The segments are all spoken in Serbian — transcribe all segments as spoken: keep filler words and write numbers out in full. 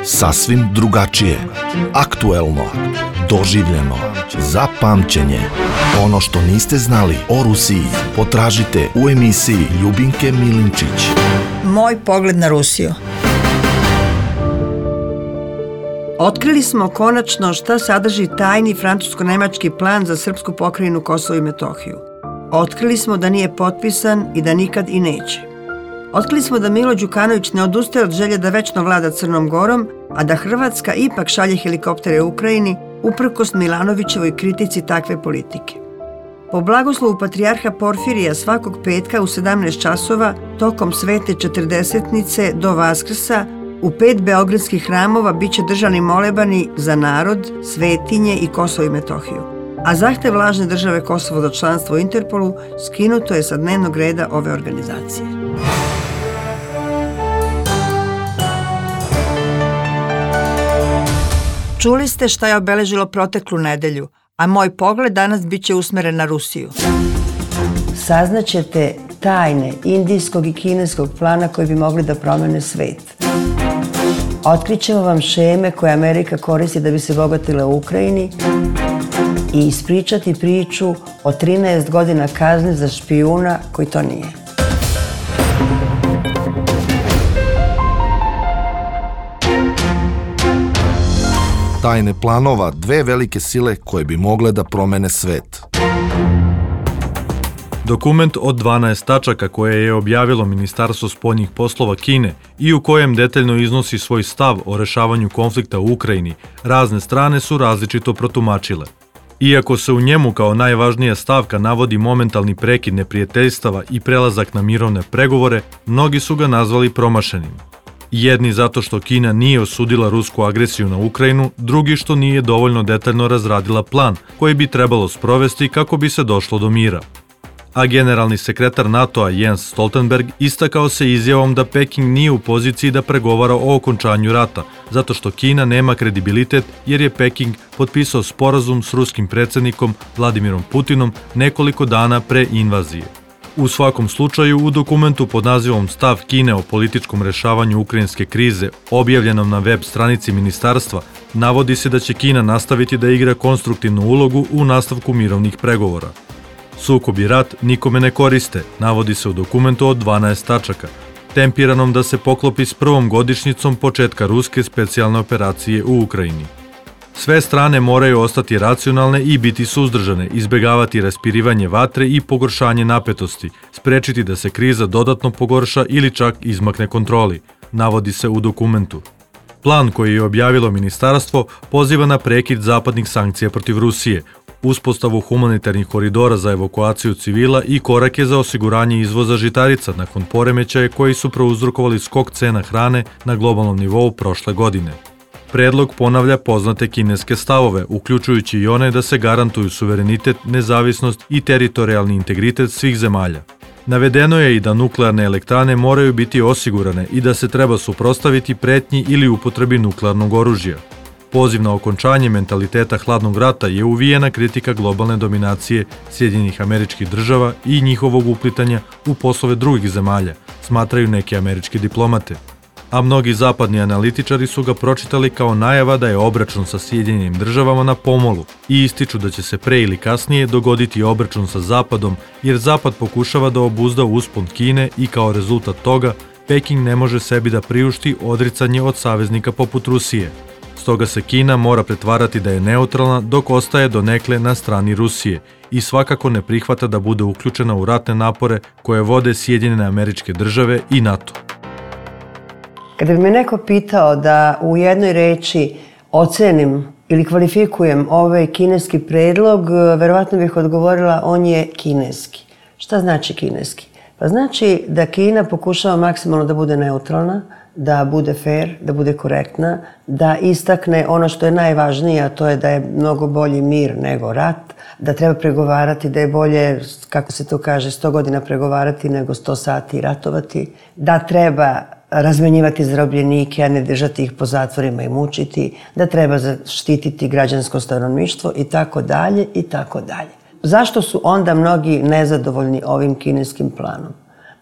Sasvim drugačije, aktuelno, doživljeno, za pamćenje. Ono što niste znali o Rusiji potražite u emisiji Ljubinke Milinčić. Moj pogled na Rusiju. Otkrili smo konačno šta sadrži tajni francusko-nemački plan za srpsku pokrajinu Kosovo i Metohiju. Otkrili smo da nije potpisan i da nikad i neće. Otkrili smo da Milo Đukanović ne odustaje od želje da večno vlada Crnom Gorom, a da Hrvatska ipak šalje helikoptere Ukrajini uprkos Milanovićevoj kritici takve politike. Po blagoslovu patrijarha Porfirija svakog petka u sedamnaest časova tokom svete četrdesetnice do Vaskrsa u pet beogradskih hramova biće držani molebani za narod, svetinje i Kosovo i Metohiju. A zahtev lažne države Kosovo za članstvo u Interpolu skinuto je sa dnevnog reda ove organizacije. Čuli ste šta je obeležilo proteklu nedelju, a moj pogled danas biće usmeren na Rusiju. Saznaćete tajne indijskog i kineskog plana koji bi mogli da promene svet. Otkrićemo vam šeme koje Amerika koristi da bi se bogatila u Ukrajini i ispričati priču o trinaest godina kazne za špijuna koji to nije. Tajne planova dve velike sile koje bi mogle da promene svet. Dokument od dvanaest tačaka koje je objavilo Ministarstvo spoljnih poslova Kine i u kojem detaljno iznosi svoj stav o rešavanju konflikta u Ukrajini, razne strane su različito protumačile. Iako se u njemu kao najvažnija stavka navodi momentalni prekid neprijateljstava i prelazak na mirovne pregovore, mnogi su ga nazvali promašenim. Jedni zato što Kina nije osudila rusku agresiju na Ukrajinu, drugi što nije dovoljno detaljno razradila plan koji bi trebalo sprovesti kako bi se došlo do mira. A generalni sekretar NATO-a Jens Stoltenberg istakao se izjavom da Peking nije u poziciji da pregovara o okončanju rata, zato što Kina nema kredibilitet jer je Peking potpisao sporazum s ruskim predsjednikom Vladimirom Putinom nekoliko dana pre invazije. U svakom slučaju, u dokumentu pod nazivom Stav Kine o političkom rešavanju ukrajinske krize, objavljenom na web stranici ministarstva, navodi se da će Kina nastaviti da igra konstruktivnu ulogu u nastavku mirovnih pregovora. Sukob i rat nikome ne koriste, navodi se u dokumentu od dvanaest tačaka, tempiranom da se poklopi s prvom godišnjicom početka ruske specijalne operacije u Ukrajini. Sve strane moraju ostati racionalne i biti suzdržane, izbegavati raspirivanje vatre i pogoršanje napetosti, sprečiti da se kriza dodatno pogorša ili čak izmakne kontroli, navodi se u dokumentu. Plan koji je objavilo ministarstvo poziva na prekid zapadnih sankcija protiv Rusije, uspostavu humanitarnih koridora za evakuaciju civila i korake za osiguranje izvoza žitarica nakon poremećaja koji su prouzrokovali skok cena hrane na globalnom nivou prošle godine. Predlog ponavlja poznate kineske stavove, uključujući i one da se garantuju suverenitet, nezavisnost i teritorijalni integritet svih zemalja. Navedeno je i da nuklearne elektrane moraju biti osigurane i da se treba suprotstaviti pretnji ili upotrebi nuklearnog oružja. Poziv na okončanje mentaliteta hladnog rata je uvijena kritika globalne dominacije Sjedinjenih Američkih Država i njihovog uplitanja u poslove drugih zemalja, smatraju neke američke diplomate. A mnogi zapadni analitičari su ga pročitali kao najava da je obračun sa Sjedinjenim Državama na pomolu i ističu da će se pre ili kasnije dogoditi obračun sa Zapadom jer Zapad pokušava da obuzda uspon Kine i kao rezultat toga Peking ne može sebi da priušti odricanje od saveznika poput Rusije. Stoga se Kina mora pretvarati da je neutralna dok ostaje donekle na strani Rusije i svakako ne prihvata da bude uključena u ratne napore koje vode Sjedinjene Američke Države i NATO. Kada bi me neko pitao da u jednoj reči ocenim ili kvalifikujem ovaj kineski predlog, verovatno bih odgovorila on je kineski. Šta znači kineski? Pa znači da Kina pokušava maksimalno da bude neutralna, da bude fair, da bude korektna, da istakne ono što je najvažnije, a to je da je mnogo bolji mir nego rat, da treba pregovarati, da je bolje, kako se to kaže, sto godina pregovarati nego sto sati ratovati, da treba razmenjivati zarobljenike, a ne držati ih po zatvorima i mučiti, da treba zaštititi građansko stanovništvo i tako dalje i tako dalje. Zašto su onda mnogi nezadovoljni ovim kineskim planom?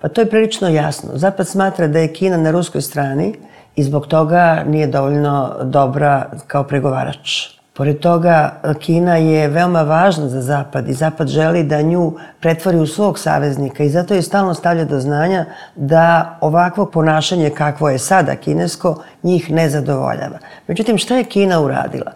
Pa to je prilično jasno. Zapad smatra da je Kina na ruskoj strani i zbog toga nije dovoljno dobra kao pregovarač. Pored toga, Kina je veoma važna za Zapad i Zapad želi da nju pretvori u svog saveznika i zato je stalno stavlja do znanja da ovakvo ponašanje kakvo je sada kinesko njih ne zadovoljava. Međutim, šta je Kina uradila?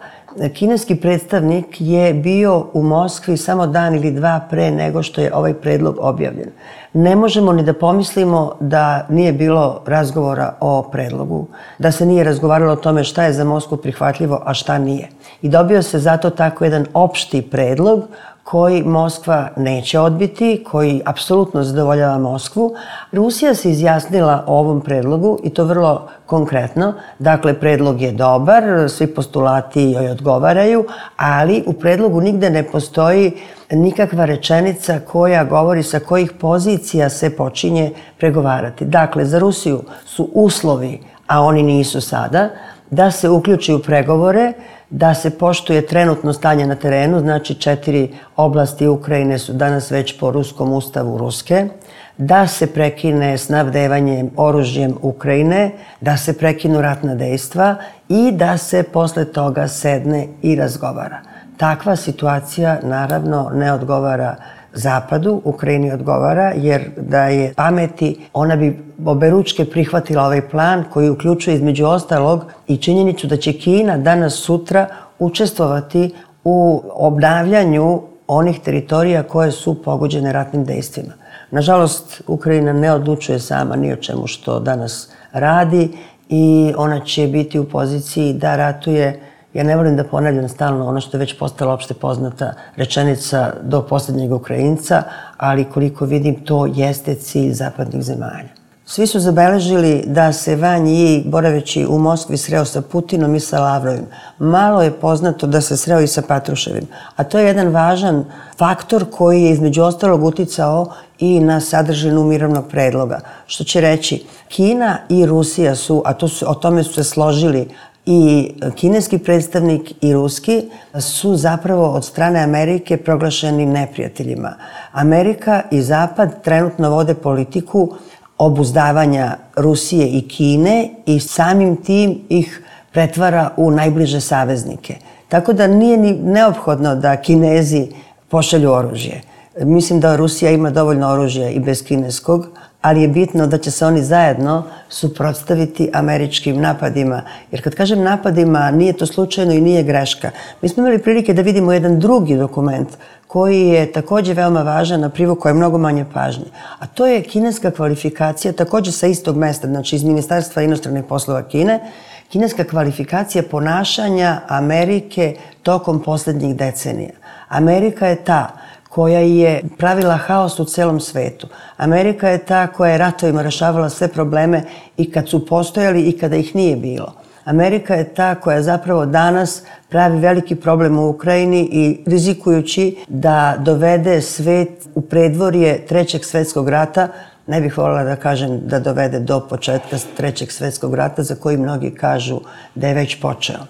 Kineski predstavnik je bio u Moskvi samo dan ili dva pre nego što je ovaj predlog objavljen. Ne možemo ni da pomislimo da nije bilo razgovora o predlogu, da se nije razgovaralo o tome šta je za Moskvu prihvatljivo, a šta nije. I dobio se zato tako jedan opšti predlog koji Moskva neće odbiti, koji apsolutno zadovoljava Moskvu. Rusija se izjasnila o ovom predlogu i to vrlo konkretno. Dakle, predlog je dobar, svi postulati joj odgovaraju, ali u predlogu nigde ne postoji nikakva rečenica koja govori sa kojih pozicija se počinje pregovarati. Dakle, za Rusiju su uslovi, a oni nisu sada, da se uključi u pregovore, da se poštuje trenutno stanje na terenu, znači četiri oblasti Ukrajine su danas već po ruskom ustavu ruske, da se prekine snabdevanje oružjem Ukrajine, da se prekinu ratna dejstva i da se posle toga sedne i razgovara. Takva situacija naravno ne odgovara Zapadu, Ukrajini odgovara, jer da je pameti, ona bi oberučke prihvatila ovaj plan koji uključuje između ostalog i činjenicu da će Kina danas sutra učestvovati u obnavljanju onih teritorija koje su pogođene ratnim dejstvima. Nažalost, Ukrajina ne odlučuje sama ni o čemu što danas radi i ona će biti u poziciji da ratuje. Ja ne volim da ponavljam stalno ono što je već postala opšte poznata rečenica do posljednjeg Ukrajinca, ali koliko vidim to jeste cilj zapadnih zemalja. Svi su zabeležili da se Van Yi, boraveći u Moskvi, sreo sa Putinom i sa Lavrovim. Malo je poznato da se sreo i sa Patruševim, a to je jedan važan faktor koji je između ostalog uticao i na sadržinu mirovnog predloga. Što će reći, Kina i Rusija su, a to su, o tome su se složili i kineski predstavnik i ruski, su zapravo od strane Amerike proglašeni neprijateljima. Amerika i Zapad trenutno vode politiku obuzdavanja Rusije i Kine i samim tim ih pretvara u najbliže saveznike. Tako da nije ni neophodno da Kinezi pošalju oružje. Mislim da Rusija ima dovoljno oružja i bez kineskog, ali je bitno da će se oni zajedno suprotstaviti američkim napadima. Jer kad kažem napadima, nije to slučajno i nije greška. Mi smo imali prilike da vidimo jedan drugi dokument koji je također veoma važan, na privukao je mnogo manje pažnje. A to je kineska kvalifikacija, također sa istog mesta, znači iz Ministarstva inostranih poslova Kine, kineska kvalifikacija ponašanja Amerike tokom posljednjih decenija. Amerika je ta koja je pravila haos u celom svetu. Amerika je ta koja je ratovima rešavala sve probleme i kad su postojali i kada ih nije bilo. Amerika je ta koja zapravo danas pravi veliki problem u Ukrajini i rizikujući da dovede svet u predvorje Trećeg svetskog rata, ne bih voljela da kažem da dovede do početka Trećeg svetskog rata, za koji mnogi kažu da je već počeo.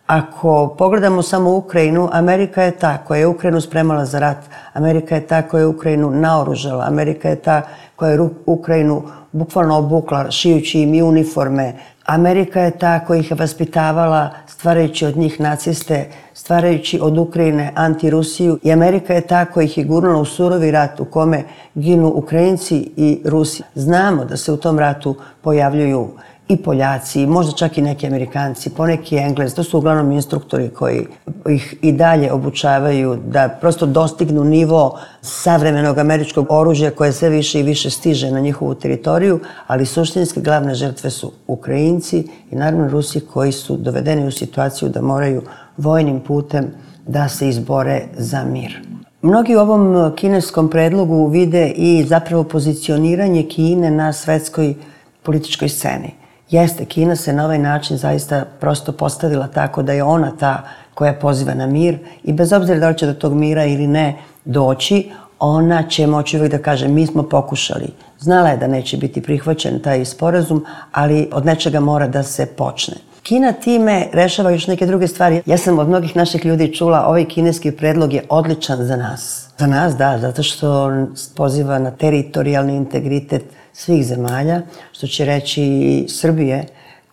Ako pogledamo samo Ukrajinu, Amerika je ta koja je Ukrajinu spremala za rat. Amerika je ta koja je Ukrajinu naoružala. Amerika je ta koja je Ukrajinu bukvalno obukla, šijući im i uniforme. Amerika je ta koja ih je vaspitavala, stvarajući od njih naciste, stvarajući od Ukrajine anti-Rusiju. I Amerika je ta koja ih je gurnula u surovi rat u kome ginu Ukrajinci i Rusi. Znamo da se u tom ratu pojavljuju i Poljaci, možda čak i neki Amerikanci, poneki Englezi. To su uglavnom instruktori koji ih i dalje obučavaju da prosto dostignu nivo savremenog američkog oružja koje sve više i više stiže na njihovu teritoriju, ali suštinski glavne žrtve su Ukrajinci i naravno Rusi koji su dovedeni u situaciju da moraju vojnim putem da se izbore za mir. Mnogi u ovom kineskom predlogu vide i zapravo pozicioniranje Kine na svetskoj političkoj sceni. Jeste, Kina se na ovaj način zaista prosto postavila tako da je ona ta koja poziva na mir i bez obzira da li će do tog mira ili ne doći, ona će moći uvijek da kaže mi smo pokušali. Znala je da neće biti prihvaćen taj sporazum, ali od nečega mora da se počne. Kina time rešava još neke druge stvari. Ja sam od mnogih naših ljudi čula ovaj kineski predlog je odličan za nas. Za nas da, zato što poziva na teritorijalni integritet svih zemalja, što će reći i Srbije,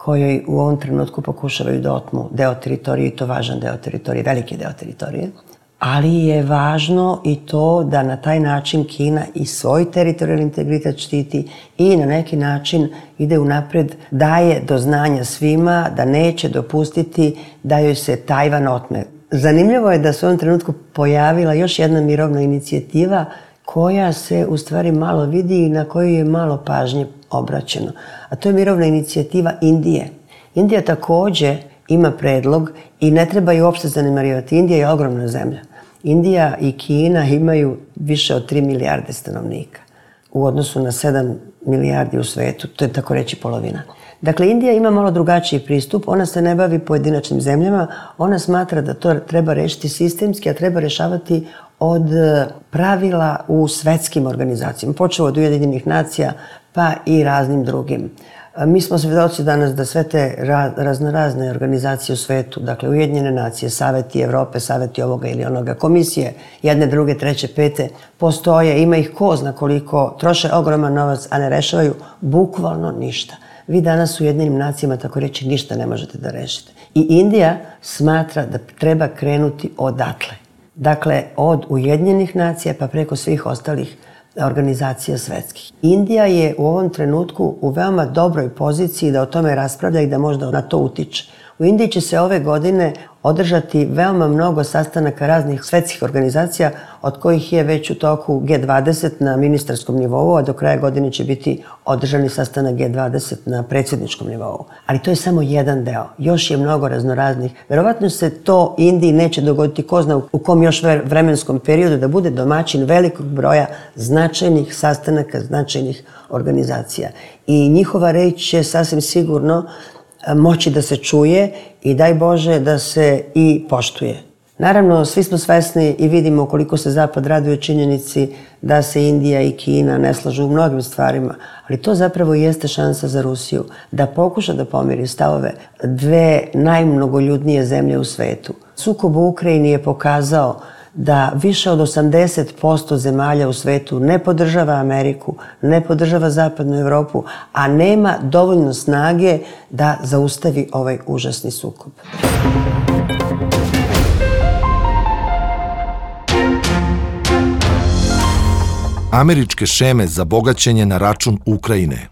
kojoj u ovom trenutku pokušavaju da otmu deo teritorije, i to važan deo teritorije, veliki deo teritorije. Ali je važno i to da na taj način Kina i svoj teritorijalni integritet štiti i na neki način ide unapred, daje do znanja svima da neće dopustiti da joj se Tajvan otme. Zanimljivo je da se u ovom trenutku pojavila još jedna mirovna inicijativa koja se u stvari malo vidi i na koju je malo pažnje obraćeno. A to je mirovna inicijativa Indije. Indija takođe ima predlog i ne treba ju uopšte zanemarivati. Indija je ogromna zemlja. Indija i Kina imaju više od tri milijarde stanovnika u odnosu na sedam milijardi u svetu. To je tako reći polovina. Dakle, Indija ima malo drugačiji pristup. Ona se ne bavi pojedinačnim zemljama. Ona smatra da to treba rešiti sistemski, a treba rešavati od pravila u svetskim organizacijama. Počeo od Ujedinjenih nacija pa i raznim drugim. Mi smo svedoci danas da sve te raznorazne organizacije u svetu, dakle Ujedinjene nacije, Saveti Evrope, Saveti ovoga ili onoga, komisije, jedne, druge, treće, pete, postoje, ima ih ko zna koliko, troše ogroman novac, a ne rešavaju bukvalno ništa. Vi danas u Ujedinjenim nacijama, tako reći, ništa ne možete da rešite. I Indija smatra da treba krenuti odatle. Dakle, od Ujedinjenih nacija pa preko svih ostalih organizacija svetskih. Indija je u ovom trenutku u veoma dobroj poziciji da o tome raspravlja i da možda na to utiče. U Indiji će se ove godine održati veoma mnogo sastanaka raznih svetskih organizacija, od kojih je već u toku G dvadeset na ministarskom nivou, a do kraja godine će biti održani sastanak G dvadeset na predsjedničkom nivou. Ali to je samo jedan deo. Još je mnogo raznoraznih. Verovatno se to Indiji neće dogoditi, ko zna u kom još vremenskom periodu, da bude domaćin velikog broja značajnih sastanaka, značajnih organizacija. I njihova reč će sasvim sigurno moći da se čuje i daj Bože da se i poštuje. Naravno, svi smo svesni i vidimo koliko se Zapad raduje činjenici da se Indija i Kina ne slažu u mnogim stvarima, ali to zapravo jeste šansa za Rusiju da pokuša da pomiri stavove dve najmnogoljudnije zemlje u svetu. Sukob u Ukrajini je pokazao da više od osamdeset posto zemalja u svetu ne podržava Ameriku, ne podržava Zapadnu Evropu, a nema dovoljno snage da zaustavi ovaj užasni sukob. Američke šeme za bogaćenje na račun Ukrajine.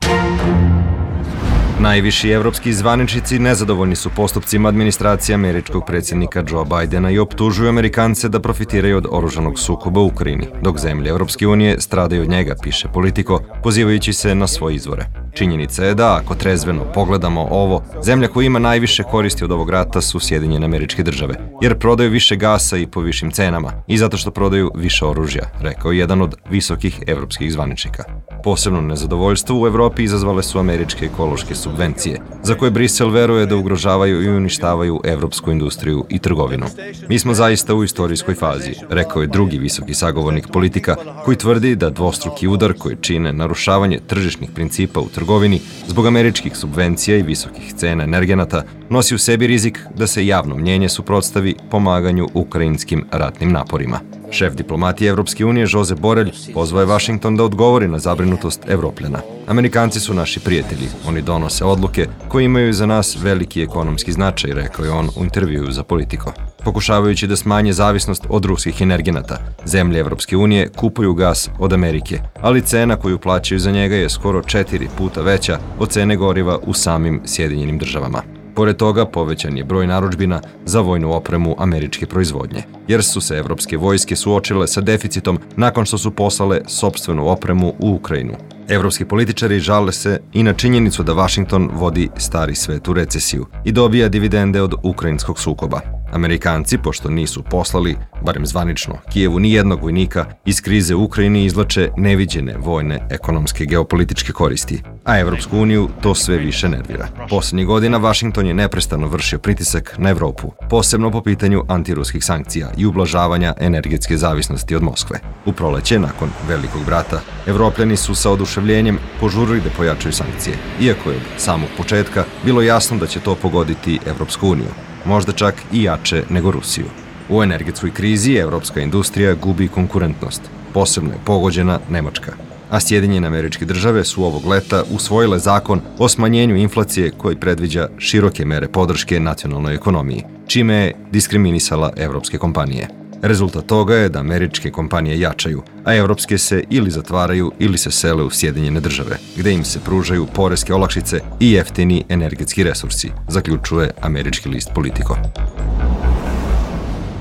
Najviši evropski zvaničnici nezadovoljni su postupcima administracije američkog predsjednika Joe Bidena i optužuju Amerikance da profitiraju od oružanog sukoba u Ukrajini, dok zemlje Evropske unije stradaju od njega, piše Politico, pozivajući se na svoje izvore. Činjenica je da, ako trezveno pogledamo ovo, zemlja koja ima najviše koristi od ovog rata su Sjedinjene Američke Države, jer prodaju više gasa i po višim cenama i zato što prodaju više oružja, rekao je jedan od visokih evropskih zvaničnika. Posebno nezadovoljstvo u Evropi izazvale su američke ekološke subvencije, za koje Brisel veruje da ugrožavaju i uništavaju evropsku industriju i trgovinu. Mi smo zaista u istorijskoj fazi, rekao je drugi visoki sagovornik Politika, koji tvrdi da dvostruki udar koji čine narušavanje tržišnih principa u trgovini zbog američkih subvencija i visokih cena energenata nosi u sebi rizik da se javno mnjenje suprotstavi pomaganju ukrajinskim ratnim naporima. Šef diplomatije Evropske unije Josep Borrell pozvao je Washington da odgovori na zabrinutost Evropljana. Amerikanci su naši prijatelji, oni donose odluke koje imaju za nas veliki ekonomski značaj, rekao je on u intervjuu za Politico. Pokušavajući da smanje zavisnost od ruskih energenata, zemlje Evropske unije kupuju gas od Amerike, ali cena koju plaćaju za njega je skoro četiri puta veća od cene goriva u samim Sjedinjenim Državama. Pored toga, povećan je broj narudžbina za vojnu opremu američke proizvodnje, jer su se evropske vojske suočile sa deficitom nakon što su poslale sopstvenu opremu u Ukrajinu. Evropski političari žale se i na činjenicu da Washington vodi stari svet u recesiju i dobija dividende od ukrajinskog sukoba. Amerikanci, pošto nisu poslali, barem zvanično, Kijevu ni jednog vojnika, iz krize u Ukrajini izvlače neviđene vojne, ekonomske, geopolitičke koristi, a Evropsku uniju to sve više nervira. Poslednjih godina Washington je neprestano vršio pritisak na Evropu, posebno po pitanju antiruskih sankcija i ublažavanja energetske zavisnosti od Moskve. U proleće, nakon Velikog brata, Evropljani su sa oduševljenjem požurili da pojačaju sankcije, iako je od samog početka bilo jasno da će to pogoditi Evropsku uniju, možda čak i jače nego Rusiju. U energetskoj krizi evropska industrija gubi konkurentnost, posebno je pogođena Nemačka. A Sjedinjene Američke Države su ovog leta usvojile zakon o smanjenju inflacije koji predviđa široke mere podrške nacionalnoj ekonomiji, čime je diskriminisala evropske kompanije. Rezultat toga je da američke kompanije jačaju, a evropske se ili zatvaraju ili se sele u Sjedinjene Države, gde im se pružaju poreske olakšice i jeftini energetski resursi, zaključuje američki list Politico.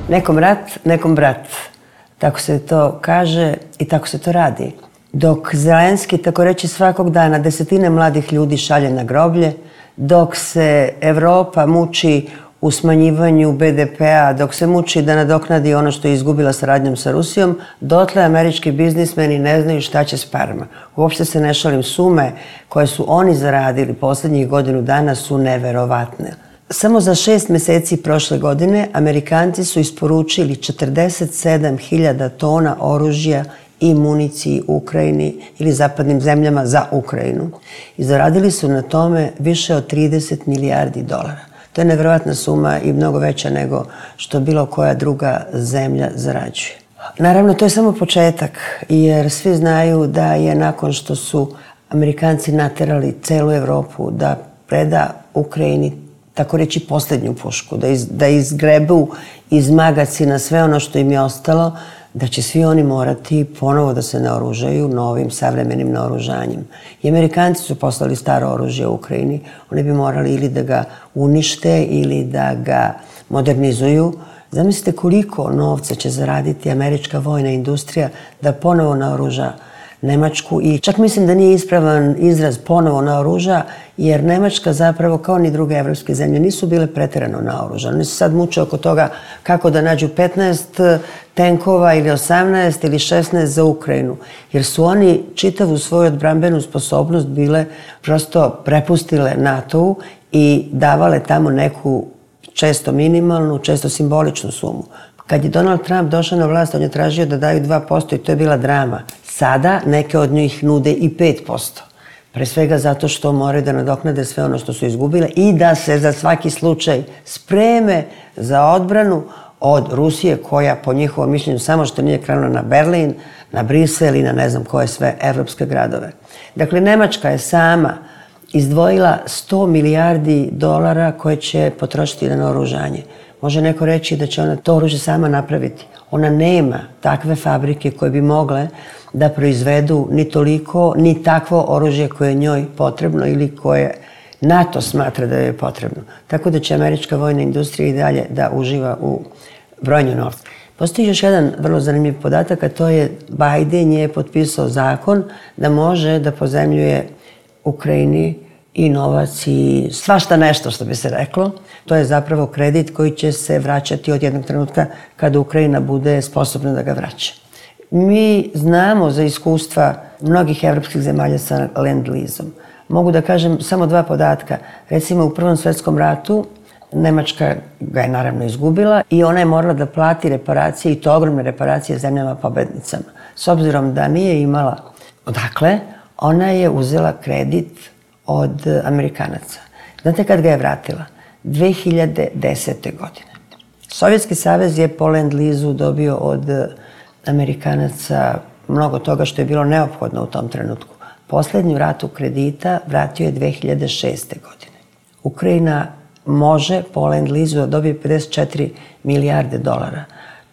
Nekom rat, nekom brat. Tako se to kaže i tako se to radi. Dok Zelenski, tako reći, svakog dana desetine mladih ljudi šalje na groblje, dok se Evropa muči u smanjivanju be de pea, dok se muči da nadoknadi ono što je izgubila saradnjom sa Rusijom, dotle američki biznismeni ne znaju šta će s parama. Uopšte se ne šalim, sume koje su oni zaradili poslednjih godinu dana su neverovatne. Samo za šest meseci prošle godine Amerikanci su isporučili četrdeset sedam hiljada tona oružja i municiji Ukrajini ili zapadnim zemljama za Ukrajinu. I zaradili su na tome više od trideset milijardi dolara. To je neverovatna suma i mnogo veća nego što bilo koja druga zemlja zarađuje. Naravno, to je samo početak, jer svi znaju da je nakon što su Amerikanci naterali celu Evropu da preda Ukrajini, tako reći, posljednju pušku, da, iz, da izgrebu iz magacina sve ono što im je ostalo, da će svi oni morati ponovo da se naoružaju novim savremenim naoružanjem. I Amerikanci su poslali staro oružje u Ukrajini. Oni bi morali ili da ga unište ili da ga modernizuju. Zamislite koliko novca će zaraditi američka vojna industrija da ponovo naoruža Nemačku i čak mislim da nije ispravan izraz ponovo naoruža, jer Nemačka zapravo kao ni druge evropske zemlje nisu bile preterano naoružane. Oni se sad muče oko toga kako da nađu petnaest tenkova ili osamnaest ili šesnaest za Ukrajinu, jer su oni čitavu svoju odbrambenu sposobnost bile prosto prepustile NATO-u i davale tamo neku često minimalnu, često simboličnu sumu. Kad je Donald Trump došao na vlast, on je tražio da daju dva posto i to je bila drama. Sada neke od njih nude i pet posto. Pre svega zato što moraju da nadoknade sve ono što su izgubile i da se za svaki slučaj spreme za odbranu od Rusije, koja po njihovom mišljenju samo što nije krenula na Berlin, na Brisel i na ne znam koje sve evropske gradove. Dakle, Nemačka je sama izdvojila sto milijardi dolara koje će potrošiti na naoružanje. Može neko reći da će ona to oružje sama napraviti. Ona nema takve fabrike koje bi mogle da proizvedu ni toliko, ni takvo oružje koje je njoj potrebno ili koje NATO smatra da je potrebno. Tako da će američka vojna industrija i dalje da uživa u brojnju novca. Postoji još jedan vrlo zanimljiv podatak, a to je Biden je potpisao zakon da može da pozemljuje Ukrajini i novac i svašta nešto, što bi se reklo. To je zapravo kredit koji će se vraćati od jednog trenutka kada Ukrajina bude sposobna da ga vraća. Mi znamo za iskustva mnogih evropskih zemalja sa Land-Leasom. Mogu da kažem samo dva podatka. Recimo, u Prvom svetskom ratu Nemačka ga je naravno izgubila i ona je morala da plati reparacije, i to ogromne reparacije, zemljama pobednicama. S obzirom da nije imala odakle, ona je uzela kredit od Amerikanaca. Znate kad ga je vratila? dve hiljade desete. godine. Sovjetski savez je po Land-Leasu dobio od Amerikanaca mnogo toga što je bilo neophodno u tom trenutku. Poslednju ratu kredita vratio je dve hiljade šeste. godine. Ukrajina može po Land-Leasu da dobije pedeset četiri milijarde dolara.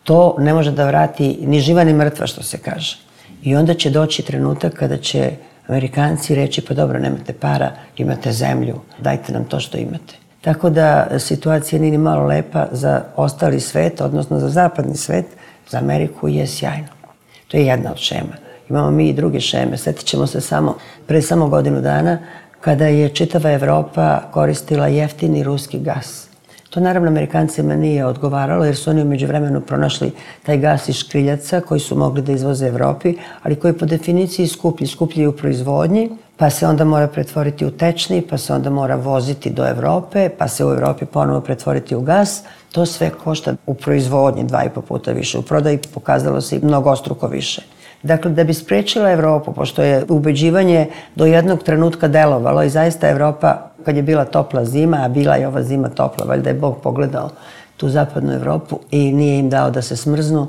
To ne može da vrati ni živa ni mrtva, što se kaže. I onda će doći trenutak kada će Amerikanci reći, pa dobro, nemate para, imate zemlju, dajte nam to što imate. Tako da situacija nije ni malo lepa za ostali svet, odnosno za zapadni svet, za Ameriku je sjajno. To je jedna od šema. Imamo mi i druge šeme. Sjetit ćemo se samo, pre samo godinu dana, kada je čitava Evropa koristila jeftini ruski gas. To naravno Amerikancima nije odgovaralo, jer su oni u međuvremenu pronašli taj gas iz škriljaca koji su mogli da izvoze Evropi, ali koji po definiciji skuplji, skuplji u proizvodnji, pa se onda mora pretvoriti u tečni, pa se onda mora voziti do Evrope, pa se u Evropi ponovo pretvoriti u gas. To sve košta u proizvodnji dva i po puta više, u prodaji pokazalo se i mnogostruko više. Dakle, da bi sprečila Evropu, pošto je ubeđivanje do jednog trenutka delovalo i zaista Evropa, kad je bila topla zima, a bila je ova zima topla, valjda je Bog pogledao tu zapadnu Evropu i nije im dao da se smrznu,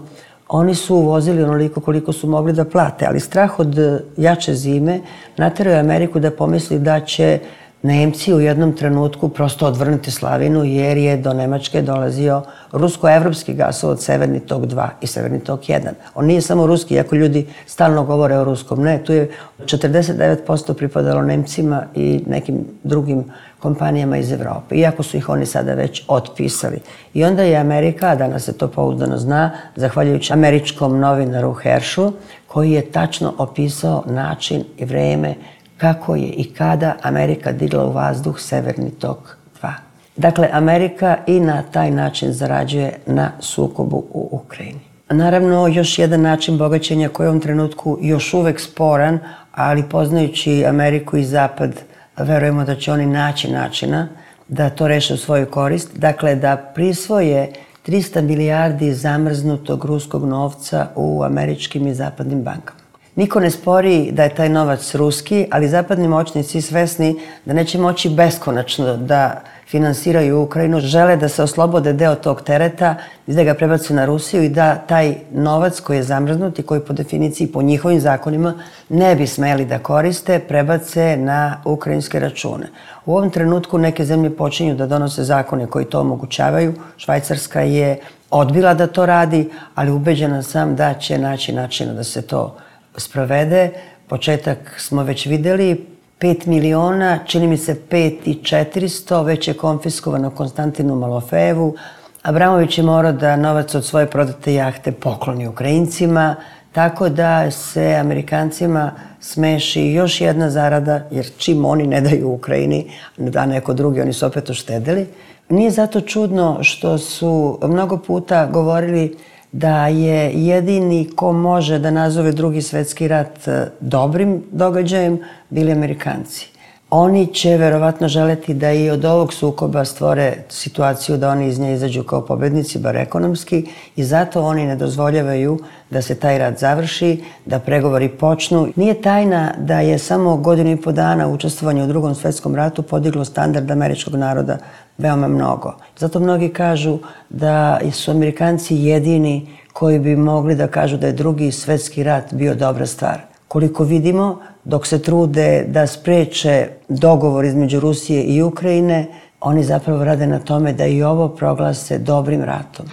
Oni su uvozili onoliko koliko su mogli da plate, ali strah od jače zime naterao je Ameriku da pomisli da će Nemci u jednom trenutku prosto odvrnuti slavinu jer je do Nemačke dolazio rusko-evropski gasovod Severni tok dva i Severni tok jedan. On nije samo ruski, iako ljudi stalno govore o ruskom. Ne, tu je četrdeset devet posto pripadalo Nemcima i nekim drugim kompanijama iz Evrope, iako su ih oni sada već otpisali. I onda je Amerika, a danas se to pouzdano zna, zahvaljujući američkom novinaru Herschu, koji je tačno opisao način i vreme kako je i kada Amerika digla u vazduh Severni tok dva. Dakle, Amerika i na taj način zarađuje na sukobu u Ukrajini. Naravno, još jedan način bogaćenja koji je u ovom trenutku još uvek sporan, ali poznajući Ameriku i Zapad, verujemo da će oni naći načina da to reše u svoju korist. Dakle, da prisvoje trista milijardi zamrznutog ruskog novca u američkim i zapadnim bankama. Niko ne spori da je taj novac ruski, ali zapadni moćnici svesni da neće moći beskonačno da finansiraju Ukrajinu, žele da se oslobode deo tog tereta i da ga prebace na Rusiju i da taj novac koji je zamrznut i koji po definiciji, po njihovim zakonima, ne bi smeli da koriste, prebace na ukrajinske račune. U ovom trenutku neke zemlje počinju da donose zakone koji to omogućavaju. Švajcarska je odbila da to radi, ali ubeđena sam da će naći načina da se to sprovede. Početak smo već videli, pet miliona, čini mi se pet i četiristo, već je konfiskovano Konstantinu Malofejevu. Abramović je morao da novac od svoje prodate jahte pokloni Ukrajincima, tako da se Amerikancima smeši još jedna zarada, jer čim oni ne daju Ukrajini, da neko drugi, oni su opet uštedeli. Nije zato čudno što su mnogo puta govorili da je jedini ko može da nazove Drugi svetski rat dobrim događajem bili Amerikanci. Oni će verovatno želeti da i od ovog sukoba stvore situaciju da oni iz nje izađu kao pobednici, bar ekonomski, i zato oni ne dozvoljavaju da se taj rat završi, da pregovori počnu. Nije tajna da je samo godinu i po dana učestvovanje u Drugom svetskom ratu podiglo standard američkog naroda veoma mnogo. Zato mnogi kažu da su Amerikanci jedini koji bi mogli da kažu da je Drugi svetski rat bio dobra stvar. Koliko vidimo, dok se trude da spreče dogovor između Rusije i Ukrajine, oni zapravo rade na tome da i ovo proglase dobrim ratom.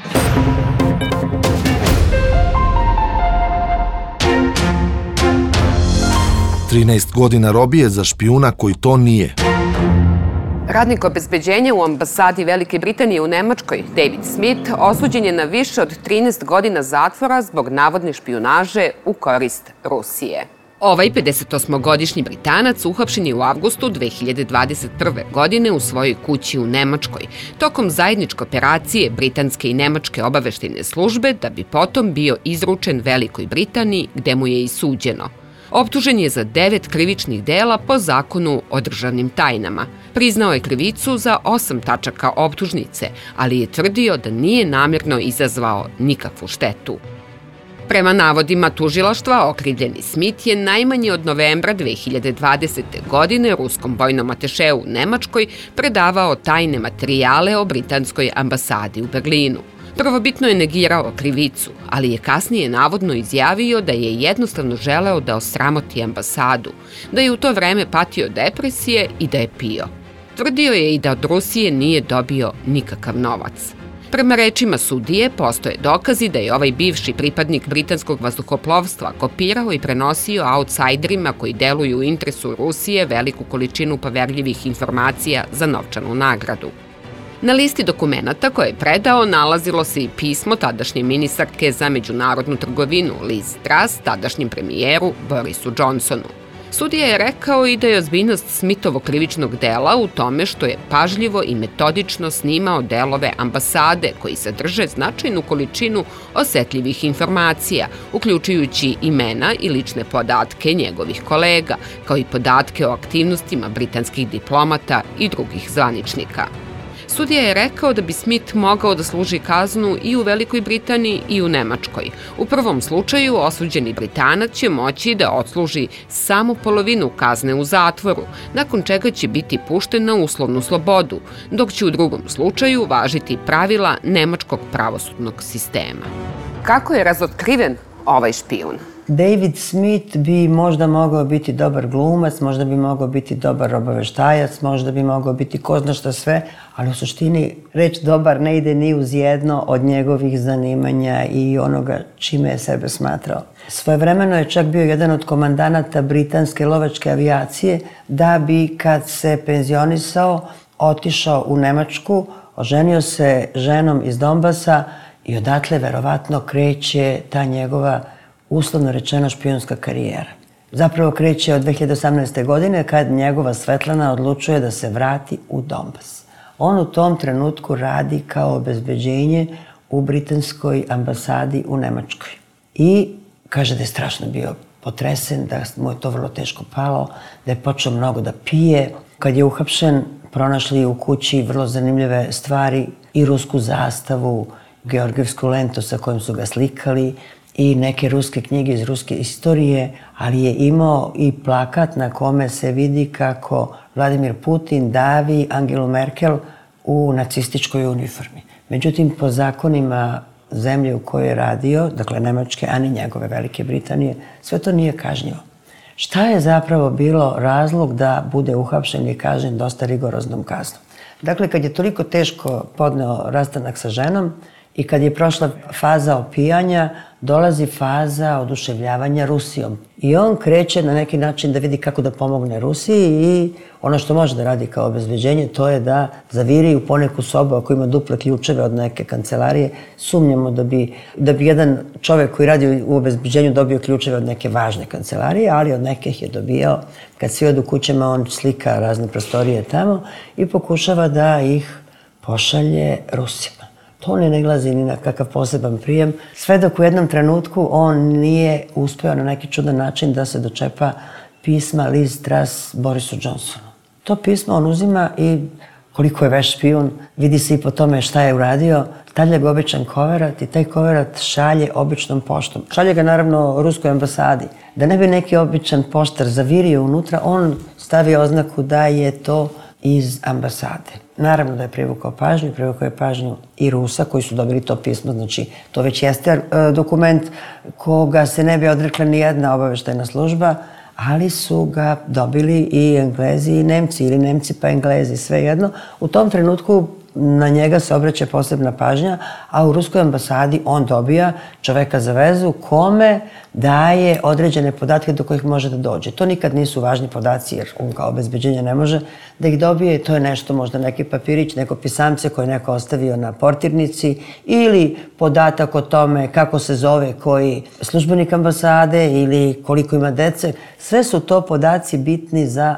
trinaest godina robije za špijuna koji to nije. Radnik obezbeđenja u ambasadi Velike Britanije u Nemačkoj, David Smith, osuđen je na više od trinaest godina zatvora zbog navodne špijunaže u korist Rusije. Ovaj pedesetosmogodišnji Britanac uhapšen je u avgustu dve hiljade dvadeset prve. godine u svojoj kući u Nemačkoj, tokom zajedničke operacije britanske i nemačke obaveštajne službe, da bi potom bio izručen Velikoj Britaniji, gde mu je i suđeno. Optužen je za devet krivičnih dela po zakonu o državnim tajnama. Priznao je krivicu za osam tačaka optužnice, ali je tvrdio da nije namjerno izazvao nikakvu štetu. Prema navodima tužilaštva, okrivljeni Smith je najmanje od novembra dve hiljade dvadesete. godine ruskom vojnom atešeu u Nemačkoj predavao tajne materijale o britanskoj ambasadi u Berlinu. Prvobitno je negirao krivicu, ali je kasnije navodno izjavio da je jednostavno želeo da osramoti ambasadu, da je u to vreme patio depresije i da je pio. Tvrdio je i da od Rusije nije dobio nikakav novac. Prema rečima sudije, postoje dokazi da je ovaj bivši pripadnik britanskog vazduhoplovstva kopirao i prenosio outsiderima koji deluju u interesu Rusije veliku količinu poverljivih informacija za novčanu nagradu. Na listi dokumenata koje je predao nalazilo se i pismo tadašnje ministarke za međunarodnu trgovinu Liz Truss tadašnjem premijeru Borisu Johnsonu. Sudija je rekao i da je ozbiljnost Smithovog krivičnog dela u tome što je pažljivo i metodično snimao delove ambasade koji sadrže značajnu količinu osetljivih informacija, uključujući imena i lične podatke njegovih kolega, kao i podatke o aktivnostima britanskih diplomata i drugih zvaničnika. Sudija je rekao da bi Smith mogao da služi kaznu i u Velikoj Britaniji i u Nemačkoj. U prvom slučaju osuđeni Britanac će moći da odsluži samo polovinu kazne u zatvoru, nakon čega će biti pušten na uslovnu slobodu, dok će u drugom slučaju važiti pravila nemačkog pravosudnog sistema. Kako je razotkriven ovaj špijun? David Smith bi možda mogao biti dobar glumac, možda bi mogao biti dobar obaveštajac, možda bi mogao biti ko zna šta sve, ali u suštini reč dobar ne ide ni uz jedno od njegovih zanimanja i onoga čime je sebe smatrao. Svojevremeno je čak bio jedan od komandanata britanske lovačke avijacije, da bi kad se penzionisao otišao u Nemačku, oženio se ženom iz Donbasa i odatle verovatno kreće ta njegova, uslovno rečeno, špijunska karijera. Zapravo kreće od dve hiljade osamnaeste. godine kad njegova Svetlana odlučuje da se vrati u Donbas. On u tom trenutku radi kao obezbeđenje u britanskoj ambasadi u Nemačkoj. I kaže da je strašno bio potresen, da mu je to vrlo teško palo, da je počeo mnogo da pije. Kad je uhapšen, pronašli u kući vrlo zanimljive stvari i rusku zastavu, georgijevsku lentu sa kojom su ga slikali i neke ruske knjige iz ruske istorije, ali je imao i plakat na kome se vidi kako Vladimir Putin davi Angelu Merkel u nacističkoj uniformi. Međutim, po zakonima zemlje u kojoj je radio, dakle Nemačke, a ni njegove Velike Britanije, sve to nije kažnjivo. Šta je zapravo bilo razlog da bude uhapšen i kažnjen dosta rigoroznom kaznom? Dakle, kad je toliko teško podneo rastanak sa ženom i kad je prošla faza opijanja, dolazi faza oduševljavanja Rusijom. I on kreće na neki način da vidi kako da pomogne Rusiji i ono što može da radi kao obezbeđenje, to je da zaviri u poneku sobu ako ima duple ključeve od neke kancelarije. Sumnjamo da bi, da bi jedan čovjek koji radi u obezbeđenju dobio ključeve od neke važne kancelarije, ali od nekih je dobijao. Kad svi odu kućama, on slika razne prostorije tamo i pokušava da ih pošalje Rusima. To ne nailazi ni na kakav poseban prijem, sve dok u jednom trenutku on nije uspeo na neki čudan način da se dočepa pisma Liz Truss Borisu Johnsonu. To pismo on uzima i koliko je veš špijun, vidi se i po tome šta je uradio, stavlja ga običan koverat i taj koverat šalje običnom poštom. Šalje ga naravno ruskoj ambasadi. Da ne bi neki običan poštar zavirio unutra, on stavi oznaku da je to iz ambasade. Naravno da je privukao pažnju, privukao je pažnju i Rusa koji su dobili to pismo, znači to već jeste dokument koga se ne bi odrekla ni jedna obaveštajna služba, ali su ga dobili i Englezi i Nemci, ili Nemci pa Englezi, svejedno. U tom trenutku na njega se obraća posebna pažnja, a u ruskoj ambasadi on dobija čoveka za vezu kome daje određene podatke do kojih može da dođe. To nikad nisu važni podaci jer on kao obezbeđenje ne može da ih dobije. To je nešto, možda neki papirić, neko pisamce koje neko ostavio na portirnici ili podatak o tome kako se zove koji službenik ambasade ili koliko ima dece. Sve su to podaci bitni za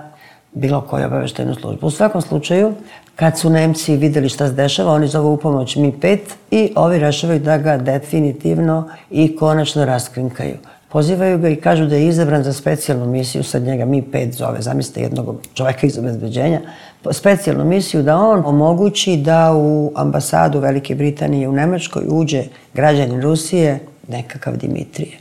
bilo koju obaveštajnu službu. U svakom slučaju, kad su Nemci videli šta se dešava, oni zovu u pomoć M I pet i ovi rešavaju da ga definitivno i konačno raskrinkaju. Pozivaju ga i kažu da je izabran za specijalnu misiju, sad njega M I pet zove, zamislite jednog čoveka iz obezbeđenja, specijalnu misiju da on omogući da u ambasadu Velike Britanije u Nemačkoj uđe građanin Rusije, nekakav Dimitrije.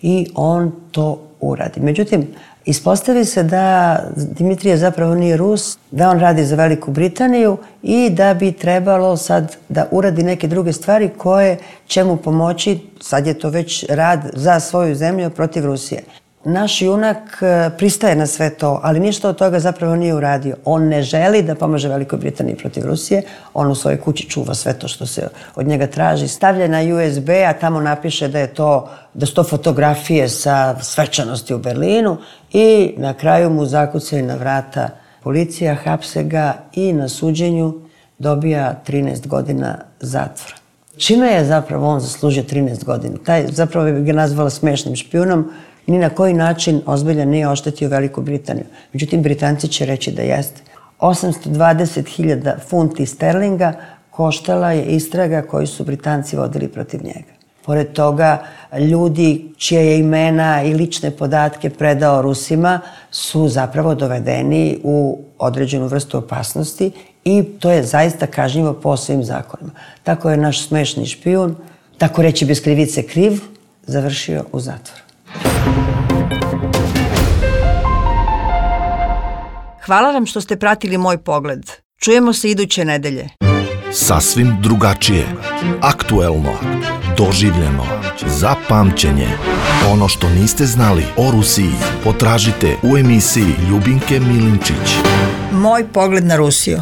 I on to uradi. Međutim, ispostavi se da Dimitrije zapravo nije Rus, da on radi za Veliku Britaniju i da bi trebalo sad da uradi neke druge stvari koje će mu pomoći, sad je to već rad za svoju zemlju protiv Rusije. Naš junak pristaje na sve to, ali ništa od toga zapravo nije uradio. On ne želi da pomaže Velikoj Britaniji protiv Rusije, on u svojoj kući čuva sve to što se od njega traži, stavlja na U S B, a tamo napiše da je to, da su to fotografije sa svečanosti u Berlinu i na kraju mu zakucaju na vrata policija, hapse ga i na suđenju dobija trinaest godina zatvora. Čime je zapravo on zaslužio trinaest godina? Taj zapravo bi ga nazvala smešnim špijunom, ni na koji način ozbiljan nije oštetio Veliku Britaniju. Međutim, Britanci će reći da jeste. osamsto dvadeset hiljada funti sterlinga koštala je istraga koju su Britanci vodili protiv njega. Pored toga, ljudi čije je imena i lične podatke predao Rusima su zapravo dovedeni u određenu vrstu opasnosti i to je zaista kažnjivo po svim zakonima. Tako je naš smešni špijun, tako reći bez krivice kriv, završio u zatvoru. Hvala vam što ste pratili Moj pogled. Čujemo se iduće nedelje. Sasvim drugačije, aktuelno, doživljeno, za pamćenje. Ono što niste znali o Rusiji potražite u emisiji Ljubinke Milinčić. Moj pogled na Rusiju.